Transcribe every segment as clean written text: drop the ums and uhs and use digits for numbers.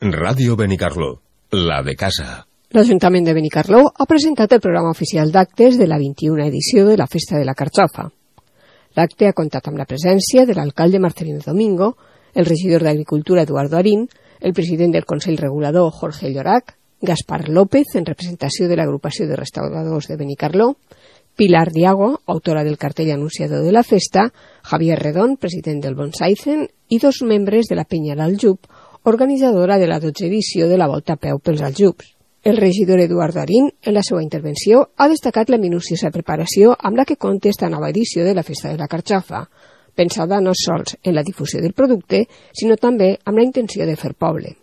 Ràdio Benicarló, la de casa. L'Ajuntament de Benicarló ha presentat el programa oficial d'actes de la 21a edició de la Festa de la Carxofa. L'acte ha comptat amb la presència de l'alcalde Marcelino Domingo, el regidor d'Agricultura Eduardo Arín, el president del Consell Regulador Jorge Llorac, Gaspar López, en representació de l'agrupació de restauradors de Benicarló, Pilar Diago, autora del cartell anunciador de la festa, Javier Redón, president del Bonsaizen, i dos membres de la Penya l'Aljub, organitzadora de la 12a edició de la Volta a Peu pels Aljubs. El regidor Eduardo Arín, en la seva intervenció, ha destacat la minuciosa preparació amb la que compta esta nova edició de la Festa de la Carxofa, pensada no sols en la difusió del producte, sinó també amb la intenció de fer poble.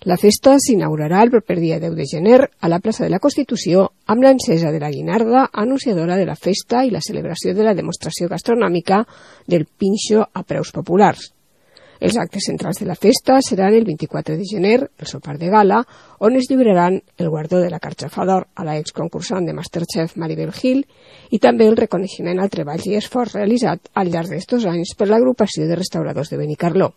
La festa s'inaugurarà el proper dia 10 de gener a la plaça de la Constitució amb l'encesa de la guinarda anunciadora de la festa i la celebració de la demostració gastronòmica del pinxo a preus populars. Els actes centrals de la festa seran el 24 de gener, el sopar de gala, on es lliuraran el guardó de la Carxofa d'Or a la exconcursant de Masterchef Maribel Gil i també el reconeixement al treball i esforç realitzat al llarg d'estos anys per l'agrupació de restauradors de Benicarló.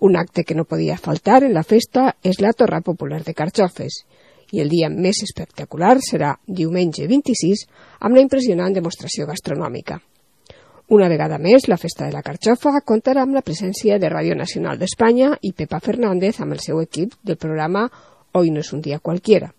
Un acte que no podia faltar en la festa és la torra popular de carxofes i el dia més espectacular serà diumenge 26 amb la impressionant demostració gastronòmica. Una vegada més, la Festa de la Carxofa comptarà amb la presència de Ràdio Nacional d'Espanya i Pepa Fernández amb el seu equip del programa Hoy no es un día cualquiera.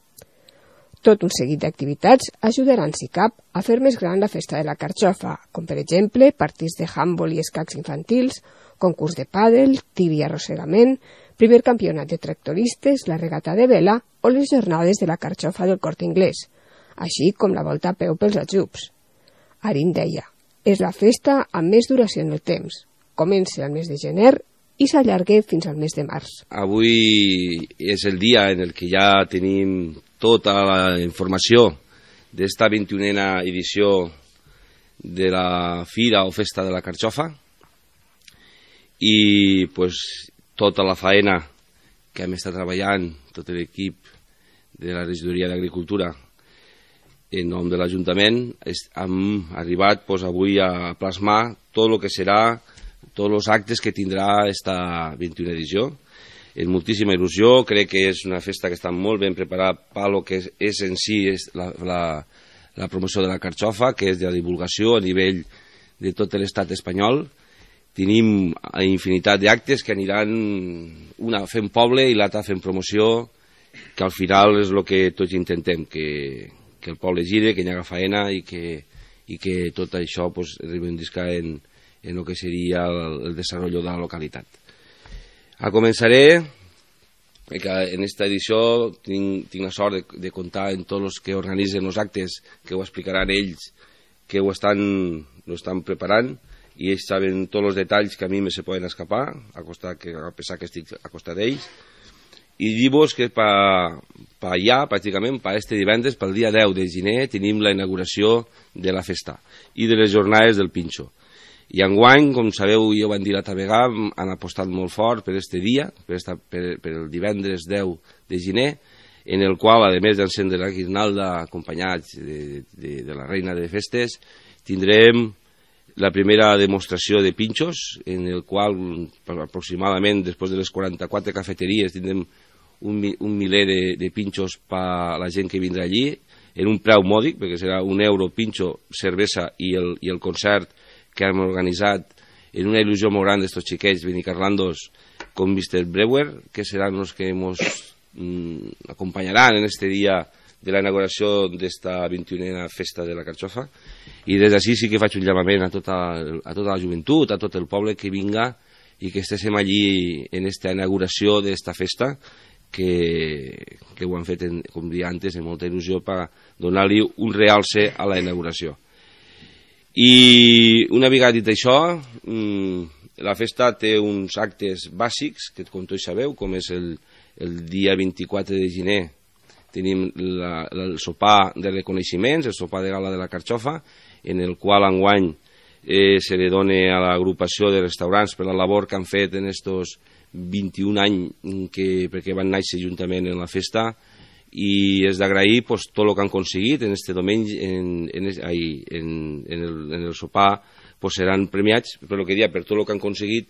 Tot un seguit d'activitats ajudaran, si cap, a fer més gran la Festa de la Carxofa, com per exemple partits de handbol i escacs infantils, concurs de pàdel, tir i arrossegament, primer campionat de tractoristes, la regata de vela o les jornades de la Carxofa del Corte Inglés, així com la Volta a Peu pels Aljubs. Arín deia: és la festa amb més duració en el temps. Comença al mes de gener i s'allarga fins al mes de març. Avui és el dia en el que ja tenim tota la informació d'esta 21a edició de la Fira o Festa de la Carxofa i tota la faena que hem estat treballant, tot l'equip de la regidoria d'Agricultura en nom de l'Ajuntament, hem arribat avui a plasmar tot el que serà, tots els actes que tindrà aquesta 21a edició. És moltíssima il·lusió, crec que és una festa que està molt ben preparada per lo que és en si la promoció de la Carxofa, que és de la divulgació a nivell de tot l'estat espanyol. Tenim infinitat d'actes que aniran una fent poble i l'altra fent promoció, que al final és el que tots intentem, que el poble gire, que hi haga faena i que tot això reivindica en el que seria el desenvolupament de la localitat. Començaré, que en aquesta edició tinc la sort de comptar amb tots els que organitzen els actes, que ho explicaran ells, que ho estan preparant, i ells saben tots els detalls que a mi me se poden escapar, a pesar que estic a costat d'ells. I dir-vos que per allà, pràcticament, per este divendres, pel dia 10 de gener, tenim la inauguració de la festa i de les jornades del pinxo. I enguany, com sabeu, jo ho vam dir l'altra vegada, han apostat molt fort per este dia, per el divendres 10 de gener, en el qual, a més d'encendre la guirnalda acompanyats de la reina de festes, tindrem la primera demostració de pinxos, en el qual aproximadament, després de les 44 cafeteries, tindrem un miler de pinxos per a la gent que vindrà allí, en un preu mòdic, perquè serà €1 pinxo, cervesa i el concert que hem organitzat en una il·lusió molt gran d'estos xiquets benicarlandos com Mr. Brewer, que seran els que ens acompanyaran en este dia de la inauguració d'esta 21a Festa de la Carxofa. I des d'ací sí que faig un llamament a tota la joventut, a tot el poble que vinga i que estéssim allí en esta inauguració d'esta festa, que ho han fet, com dia antes, amb molta il·lusió per donar-li un realce a la inauguració. I una vegada dit això, la festa té uns actes bàsics, que com tots sabeu, com és el dia 24 de gener, tenim el sopar de reconeixements, el sopar de gala de la Carxofa, en el qual enguany se li dona a l'agrupació de restaurants per la labor que han fet en estos 21 anys perquè van néixer juntament en la festa, i és d'agrair tot el que han aconseguit en este diumenge, en el sopar seran premiats per tot el que han aconseguit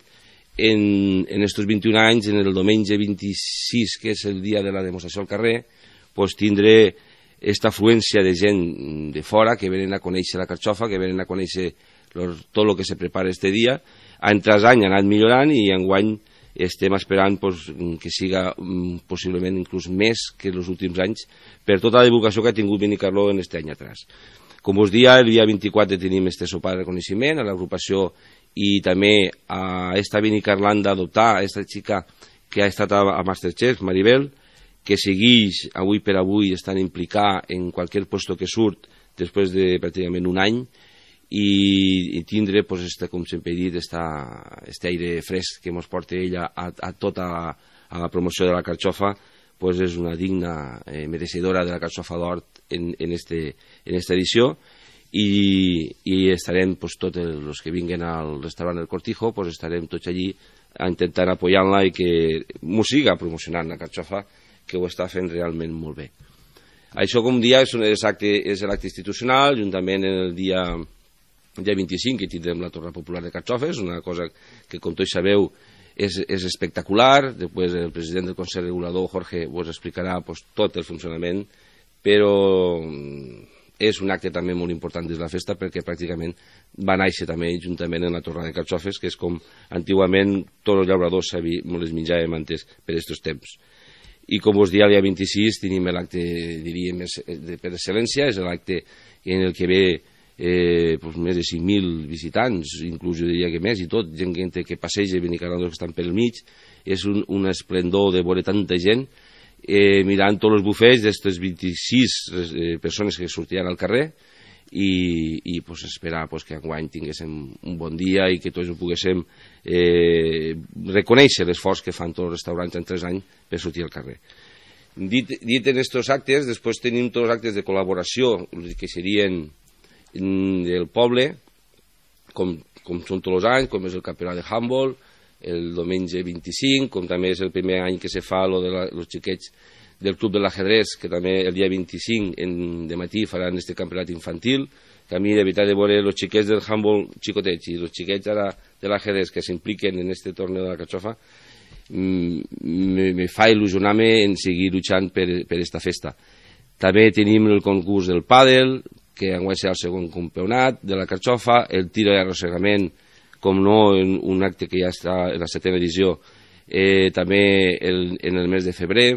en estos 21 anys, en el diumenge 26, que és el dia de la demostració al carrer, pues, tindré esta afluència de gent de fora que venen a conèixer la carxofa, que venen a conèixer tot el que se prepara este dia. Any tras any ha anat millorant i enguany estem esperant pues, que siga possiblement inclús més que els últims anys per tota la divulgació que ha tingut Benicarló en aquest any atrás. Com us dia, el dia 24 tenim este sopar de reconeixement a l'agrupació i també a esta Benicarlant d'adoptar, a esta xica que ha estat a Masterchef, Maribel, que segueix avui per avui estant implicada en qualsevol puesto que surt després de pràcticament un any i tindre, pues, com sempre he dit, este aire fresc que ens porta ella a tota la promoció de la carxofa, pues és una digna mereixedora de la carxofa d'or en esta edició i estarem, pues, tots els que vinguen al restaurant El Cortijo, pues estarem tots allí intentant apoyar-la i que m'ho siga promocionant la carxofa, que ho està fent realment molt bé. Això, com dia, és l'acte institucional, juntament el dia 25, que tindrem la Torre Popular de Carxofes, una cosa que, com tots sabeu, és espectacular. Després el president del Consell Regulador, Jorge, us explicarà pues, tot el funcionament, però és un acte també molt important des de la festa perquè pràcticament va néixer també juntament en la Torre de Carxofes, que és com antigament tots els llauradors les menjàvem antes per aquests temps. I com us dia, el dia 26 tenim l'acte, diríem, per excel·lència, és l'acte en el que ve pues, més de 5.000 visitants, inclús jo diria que més, i tot, gent que passeja, benicarlandors que estan pel mig. És un esplendor de veure tanta gent mirant tots els bufets d'aquestes 26 persones que sortiran al carrer i pues, esperar pues, que enguany tinguéssim un bon dia i que tots ho poguéssim reconèixer l'esforç que fan tots els restaurants en 3 anys per sortir al carrer. Dit en aquests actes, després tenim tots els actes de col·laboració que serien del poble, com són tots els anys, com és el campionat de handball, el diumenge 25, com també és el primer any que se fa els xiquets del club de l'ajedrez, que també el dia 25 de matí faran este campionat infantil, que a mi de veritat de veure els xiquets del handball xicotets i els xiquets ara de l'ajedrez que s'impliquen en este torneo de la carxofa, me fa il·lusionar-me en seguir lluitant per esta festa. També tenim el concurs del pàdel, que enguany serà el segon campionat de la carxofa, el tir i arrossegament, com no, un acte que ja està en la 7ª edició, també en el mes de febrer,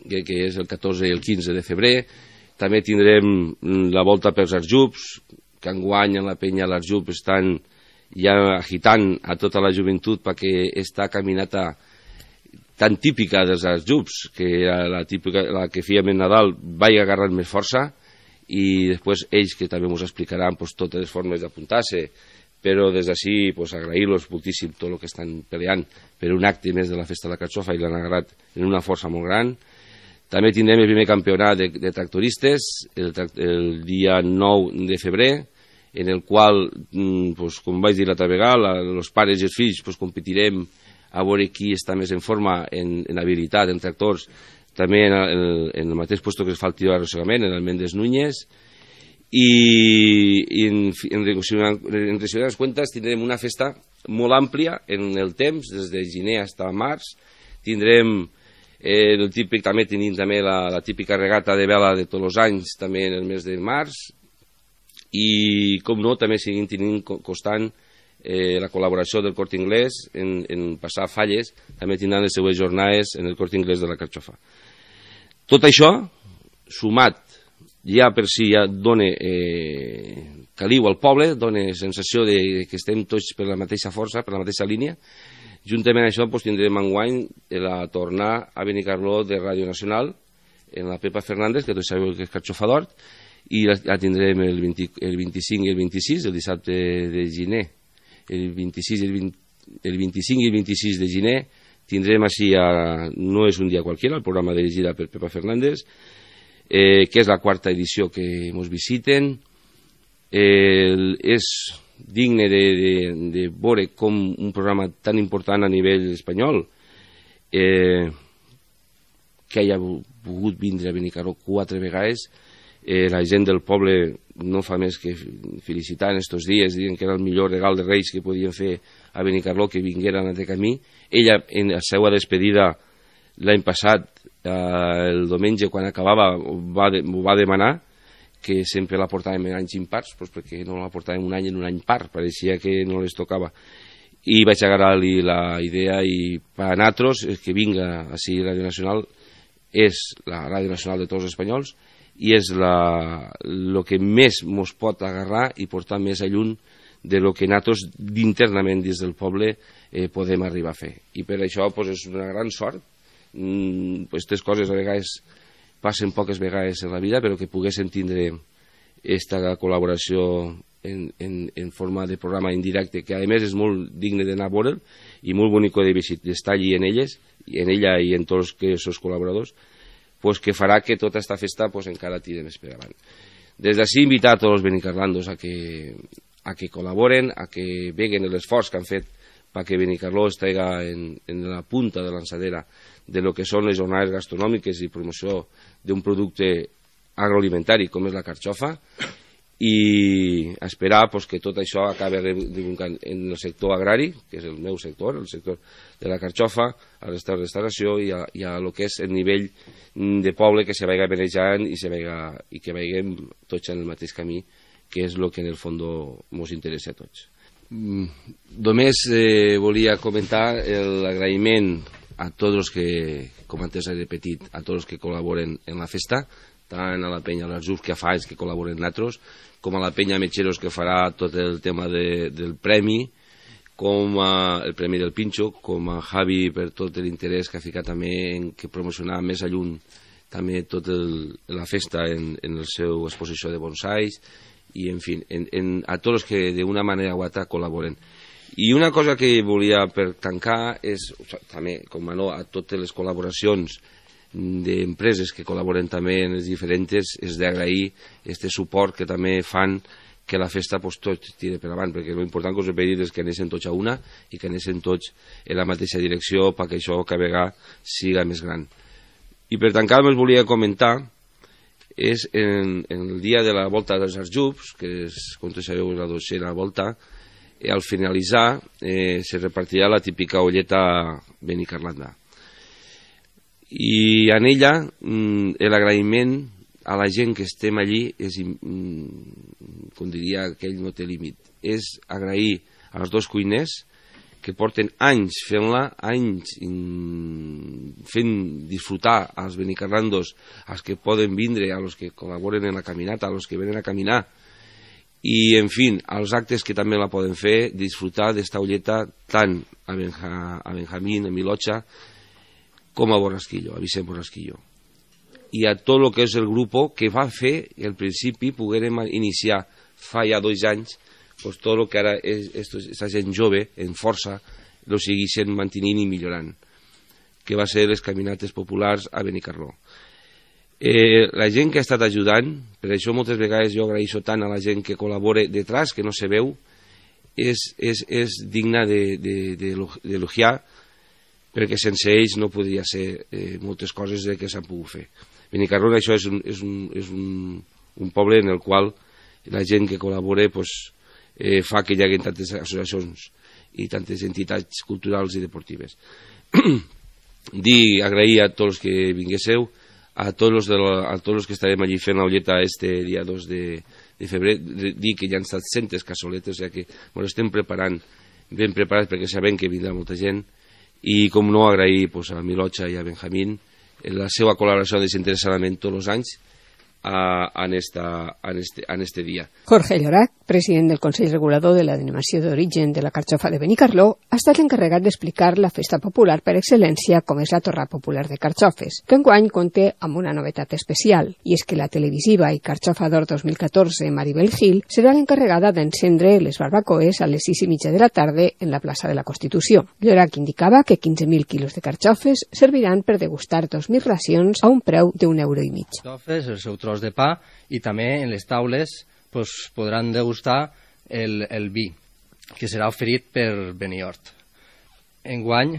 que és el 14 i el 15 de febrer. També tindrem la volta pels Arjups, que enguany en la penya l'Arjup estan ja agitant a tota la joventut perquè esta caminata tan típica dels Arjups, que era la que fèiem en Nadal, vagi agarrant més força, i després ells que també ens explicaran pues, totes les formes d'apuntar-se, però des d'ací pues, agrair-los moltíssim tot el que estan peleant per un acte més de la festa de la carxofa i l'han agarrat en una força molt gran. També tindrem el primer campionat de tractoristes el dia 9 de febrer, en el qual, pues, com vaig dir l'altra vegada, els pares i els fills pues, competirem a veure qui està més en forma en habilitat, en tractors, també en el mateix lloc que es fa el tir d'arrossegament, en el Méndez Núñez, i en recollir les comptes tindrem una festa molt àmplia en el temps, des de gener fins a març. Tindrem també tenim també la típica regata de vela de tots els anys, també en el mes de març, i com no, també seguim tenint constant la col·laboració del Corte Inglés en passar falles, també tindran les seues jornades en el Corte Inglés de la carxofa. Tot això, sumat ja per si ja dona caliu al poble, dona sensació que estem tots per la mateixa força, per la mateixa línia. Juntament amb això tindrem enguany la tornar a Benicarló de Ràdio Nacional, en la Pepa Fernández, que tots sabeu que és carxofa d'hort, i la tindrem el 25 i el 26, el dissabte de gener. El 25 i el 26 de gener tindrem així, no és un dia qualsevol, el programa dirigida per Pepa Fernández, que és la 4ª edició que ens visiten. És digne de veure com un programa tan important a nivell espanyol que haya pogut vindre a Benicarló 4 vegades La gent del poble no fa més que felicitar en estos dies, dient que era el millor regal de Reis que podien fer a Benicarló, que vingueren a camí. Ella, en la seva despedida l'any passat, el diumenge, quan acabava, ho va demanar, que sempre la portàvem en anys impars, perquè no la portàvem un any en un any par, pareixia que no les tocava. I vaig agarrar-li la idea, i per a nosaltres, que vinga així Ràdio Nacional, és la Ràdio Nacional de tots els espanyols, i és el que més ens pot agarrar i portar més a lluny de lo que nosaltres internament dins del poble podem arribar a fer. I per això és una gran sort. Aquestes coses a vegades passen poques vegades en la vida, però que poguessin tindre aquesta col·laboració en forma de programa indirecte, que a més és molt digne d'anar a veure'l i molt bonic d'estar allí en ella i en tots els seus col·laboradors, que farà que tota aquesta festa encara tiri més per avant. Des d'ací invitar a tots els benicarlandos a que col·laboren, a que veguen l'esforç que han fet perquè Benicarló estigui en la punta de l'ençadera de lo que són les jornades gastronòmiques i promoció d'un producte agroalimentari com és la carxofa, i esperar que tot això acabi en el sector agrari, que és el meu sector, el sector de la carxofa, a la restauració i a lo que és el nivell de poble, que se vagi manejant i que vagin tots en el mateix camí, que és el que en el fons ens interessa a tots. Només volia comentar l'agraïment a tots els que, com antes he repetit, a tots els que col·laboren en la festa, tant a la penya l'Arzús, que fa anys que col·laboren nosaltres, com a la penya Metxeros, que farà tot el tema del premi, com el premi del Pinxo, com a Javi per tot l'interès que ha ficat també en que promocionar més a lluny també tota la festa en la seva exposició de bonsais, i en fi, a tots els que d'una manera o altra col·laboren. I una cosa que volia per tancar és també, com no, a totes les col·laboracions d'empreses que col·laboren també en les diferents, és d'agrair aquest suport que també fan que la festa tot tiri per avant, perquè l'important que us he dit és que anessin tots a una i que anessin tots en la mateixa direcció perquè això cada vegada siga més gran. I per tancar us volia comentar és en el dia de la volta dels Arjubs, que és, com tots sabeu, la dotzena volta, al finalitzar se repartirà la típica olleta benicarlanda. I en ella l'agraïment a la gent que estem allí és, com diria aquell, no té límit. És agrair als dos cuiners que porten anys fent-la, anys fent disfrutar als benicarlandos, als que poden vindre, a los que col·laboren en la caminata, a los que venen a caminar, i en fi, als actes que també la poden fer, disfrutar d'esta olleta tant a Benjamín, a Milotxa, com a Borrasquillo, a Vicent Borrasquillo. I a tot el que és el grup que va fer que al principi poguérem iniciar fa ja 2 anys, pues tot el que ara aquesta gent jove, en força, lo segueixen mantenint i millorant, que va ser les caminates populars a Benicarló. La gent que ha estat ajudant, per això moltes vegades jo agraeixo tant a la gent que col·labora detrás, que no se veu, és digna d'elogiar, perquè sense ells no podria ser moltes coses que s'han pogut fer. Benicarló, això és un poble en el qual la gent que col·labora fa que hi hagi tantes associacions i tantes entitats culturals i deportives. Agrair a tots els que vinguéssiu, a tots els que estarem allí fent l'olleta este dia 2 de febrer, dir que ja han estat centes cassoletes, ja que ens estem preparant, ben preparats perquè sabem que vindrà molta gent, i com no agrair a Milotxa i a Benjamín la seva col·laboració desinteressadament tots els anys en este dia. Jorge Llorac, president del Consell Regulador de la Denominació d'Origen de la Carxofa de Benicarló, ha estat l'encarregat d'explicar la festa popular per excel·lència com és la Torra Popular de Carxofes, que enguany compta amb una novetat especial, i és que la televisiva i Carxofa d'Or 2014 Maribel Gil serà l'encarregada d'encendre les barbacoes a les 6:30 de la tarda en la plaça de la Constitució. Llorac indicava que 15.000 quilos de carxofes serviran per degustar 2.000 racions a un preu d'1,50 €. El seu tros de pa, i també en les taules podran degustar el vi, que serà oferit per Beniort. Enguany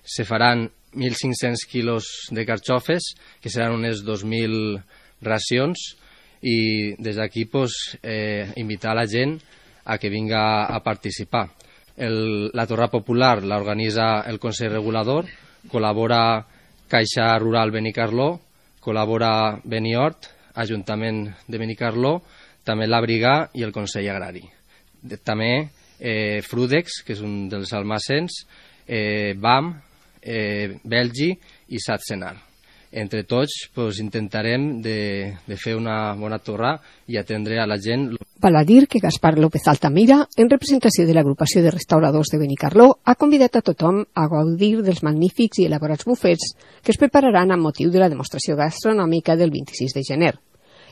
se faran 1.500 quilos de carxofes, que seran unes 2.000 racions, i des d'aquí invitar la gent a que vinga a participar. La torra popular l'organitza el Consell Regulador, col·labora Caixa Rural Benicarló, col·labora Benihort, Ajuntament de Benicarló, també la Brigà i el Consell Agrari. També Frudex, que és un dels almacens, BAM, Belgi i Satsenar. Entre tots intentarem de fer una bona torra i atendre a la gent. Val a dir que Gaspar López Altamira, en representació de l'agrupació de restauradors de Benicarló, ha convidat a tothom a gaudir dels magnífics i elaborats bufets que es prepararan amb motiu de la demostració gastronòmica del 26 de gener.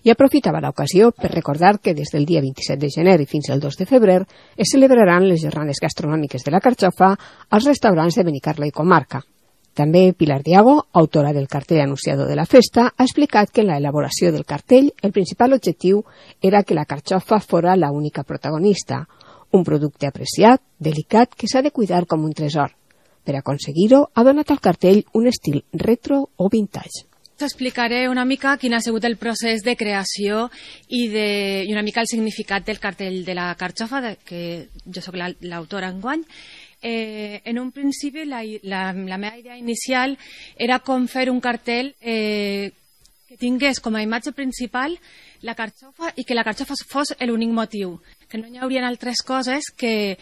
I aprofitava l'ocasió per recordar que des del dia 27 de gener i fins al 2 de febrer es celebraran les jornades gastronòmiques de la Carxofa als restaurants de Benicarló i comarca. També Pilar Diago, autora del cartell anunciador de la festa, ha explicat que en la elaboració del cartell el principal objectiu era que la carxofa fora la única protagonista, un producte apreciat, delicat, que s'ha de cuidar com un tresor. Per aconseguir-ho, ha donat al cartell un estil retro o vintage. T'explicaré una mica quin ha sigut el procés de creació i una mica el significat del cartell de la carxofa, que jo sóc l'autora enguany. En un principi la meva idea inicial era com fer un cartell que tingués com a imatge principal la carxofa i que la carxofa fos l'únic motiu, que no hi haurien altres coses que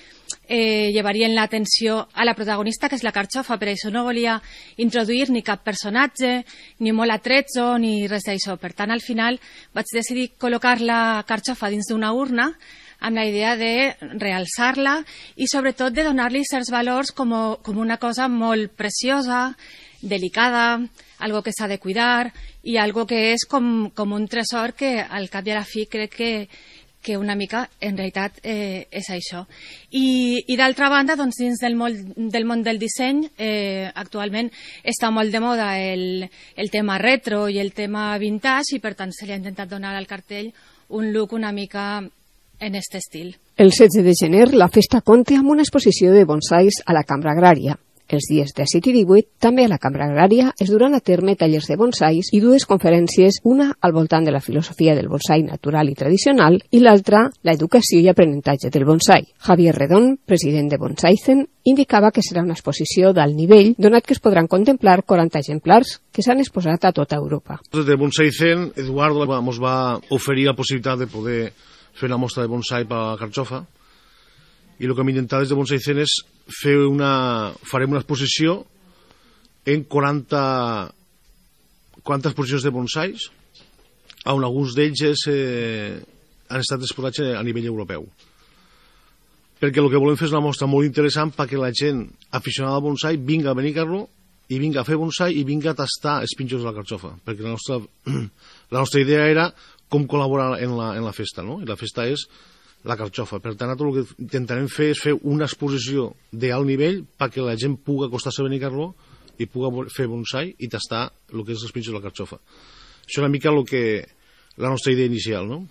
llevarien l'atenció a la protagonista, que és la carxofa. Per això no volia introduir ni cap personatge, ni molt atrezzo, ni res d'això. Per tant, al final vaig decidir col·locar la carxofa dins d'una urna amb la idea de realçar-la i sobretot de donar-li certs valors com una cosa molt preciosa, delicada, algo que s'ha de cuidar i algo que és com un tresor que al cap i a la fi crec que una mica en realitat és això. I d'altra banda, doncs, dins del món del disseny, actualment està molt de moda el tema retro i el tema vintage i per tant se li ha intentat donar al cartell un look una mica en aquest estil. El 16 de gener la festa compta amb una exposició de bonsais a la Cambra Agrària. Els dies 17 i 18, també a la Cambra Agrària, es duran a terme tallers de bonsais i dues conferències, una al voltant de la filosofia del bonsai natural i tradicional i l'altra, l'educació i aprenentatge del bonsai. Javier Redón, president de Bonsaizen, indicava que serà una exposició d'alt nivell, donat que es podran contemplar 40 exemplars que s'han exposat a tota Europa. Des de Bonsaizen, Eduardo ens va oferir la possibilitat de poder fer una mostra de bonsai per a la carxofa i el que hem intentat des de Bonsaizen és farem una exposició en 40 exposicions de bonsais on alguns d'ells han estat exposats a nivell europeu, perquè el que volem fer és una mostra molt interessant perquè la gent aficionada al bonsai vinga a Benicarló i vinga a fer bonsai i vinga a tastar els pinxos de la carxofa, perquè la nostra idea era com col·laborar en la festa, no? I la festa és la carxofa. Per tant, tot el que intentarem fer és fer una exposició d'alt nivell perquè la gent pugui acostar-se a Benicarló i pugui fer bonsai i tastar el que és els pinxos de la carxofa. Això és una mica la nostra idea inicial, no?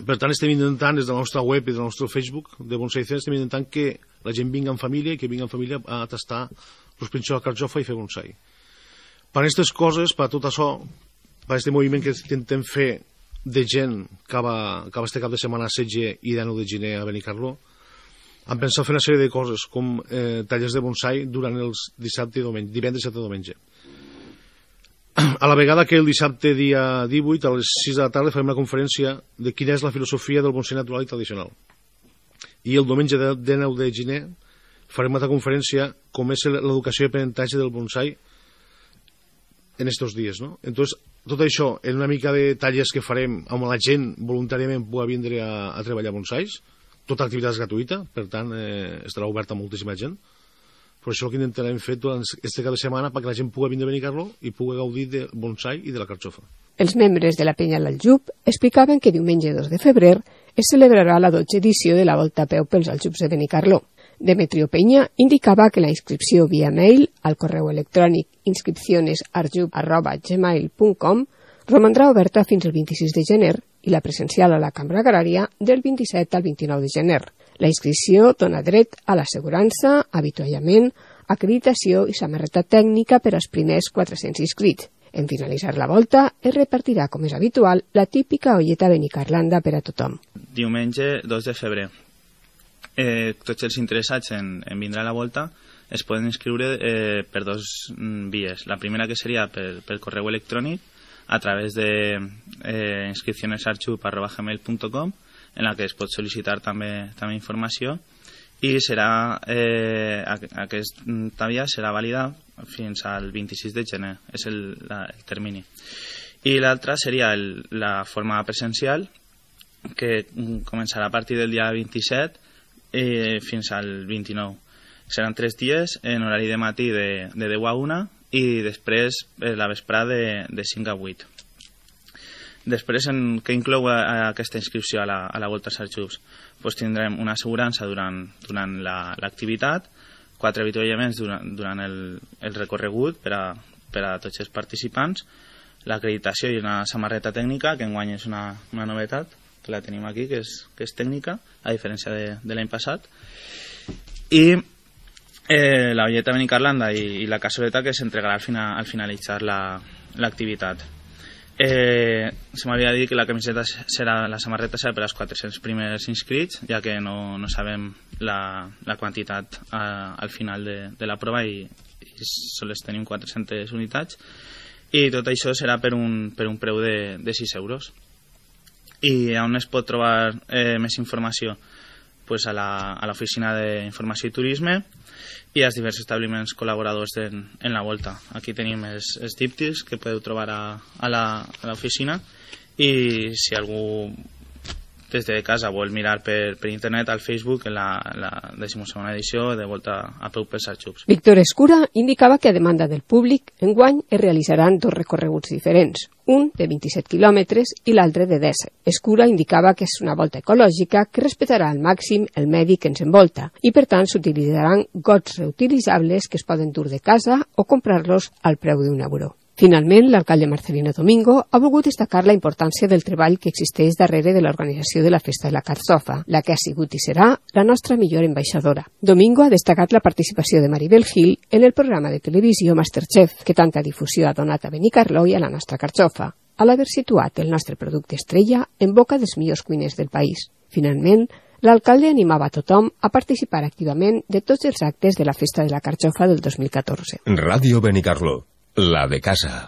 Per tant, estem intentant, des de la nostra web i del nostre Facebook de Bonsaizen, estem intentant que la gent vingui en família i que vingui en família a tastar els pinxos de la carxofa i fer bonsai. Per aquestes coses, per tot això, per aquest moviment que intentem fer de gent que va este cap de setmana a Setge i 19 de gener a Benicarló, han pensat fer una sèrie de coses com tallers de bonsai durant els divendres, dissabte i diumenge. A la vegada que el dissabte dia 18 a les 6 de la tarda farem una conferència de quina és la filosofia del bonsai natural i tradicional. I el diumenge 19 de gener farem una altra conferència com és l'educació i aprenentatge del bonsai en estos dies, no? Entonces, tot això en una mica de tallers que farem amb la gent voluntàriament pugui vindre a treballar bonsais, tota activitat és gratuïta, per tant estarà oberta a moltíssima gent. Per això el que intentarem fer durant aquest cap de setmana perquè la gent pugui vindre a Benicarló i pugui gaudir del bonsai i de la carxofa. Els membres de la Penya l'Aljub explicaven que diumenge 2 de febrer es celebrarà la 12ª edició de la Volta a peu pels Aljubs de Benicarló. Demetrio Peña indicava que la inscripció via mail al correu electrònic inscripcionesaljub@gmail.com romandrà oberta fins al 26 de gener i la presencial a la Cambra Agrària del 27 al 29 de gener. La inscripció dona dret a l'assegurança, avituallament, acreditació i samarreta tècnica per als primers 400 inscrits. En finalitzar la volta, es repartirà, com és habitual, la típica olleta benicarlanda per a tothom. Diumenge 2 de febrer. Tots els interessats en vindre a la volta es poden inscriure per dos vies. La primera, que seria per correu electrònic, a través de inscripcionesarxup@gmail.com, en la que es pot sol·licitar també informació, i serà aquesta via serà vàlida fins al 26 de gener, és el termini. I l'altra seria la forma presencial, que començarà a partir del dia 27 fins al 29. Seran 3 dies en horari de matí de 10 a 1 i després la vesprada de 5 a 8. Després, què inclou aquesta inscripció a la Volta als Arxups? Pues tindrem una assegurança durant l'activitat, 4 avituallaments durant el recorregut per a tots els participants, l'acreditació i una samarreta tècnica, que enguany és una novetat, que la tenim aquí, que és tècnica, a diferència de l'any passat, i la olleta benicarlanda i la cassoleta, que s'entregarà al finalitzar l'activitat. Se m'havia dit que la samarreta serà per als 400 primers inscrits, ja que no sabem la quantitat al final de la prova i sols tenim 400 unitats, i tot això serà per un preu de 6 euros. I on es pot trobar més informació? Pues a l'oficina d'Informació i Turisme i als diversos establiments col·laboradors en la volta. Aquí tenim els díptics que podeu trobar a l'oficina, i si algú des de casa vol mirar per internet al Facebook en la 12ª edició de Volta a peu pels Arxups. Víctor Escura indicava que a demanda del públic enguany es realitzaran 2 recorreguts diferents, un de 27 quilòmetres i l'altre de 10. Escura indicava que és una volta ecològica que respectarà al màxim el medi que ens envolta i per tant s'utilitzaran gots reutilitzables que es poden dur de casa o comprar-los al preu d'€1. Finalment, l'alcalde Marcelino Domingo ha volgut destacar la importància del treball que existeix darrere de l'organització de la Festa de la Carxofa, la que ha sigut i serà la nostra millor ambaixadora. Domingo ha destacat la participació de Maribel Gil en el programa de televisió Masterchef, que tanta difusió ha donat a Benicarló i a la nostra Carxofa, a l'haver situat el nostre producte estrella en boca dels millors cuiners del país. Finalment, l'alcalde animava a tothom a participar activament de tots els actes de la Festa de la Carxofa del 2014. Ràdio Benicarló, la de casa.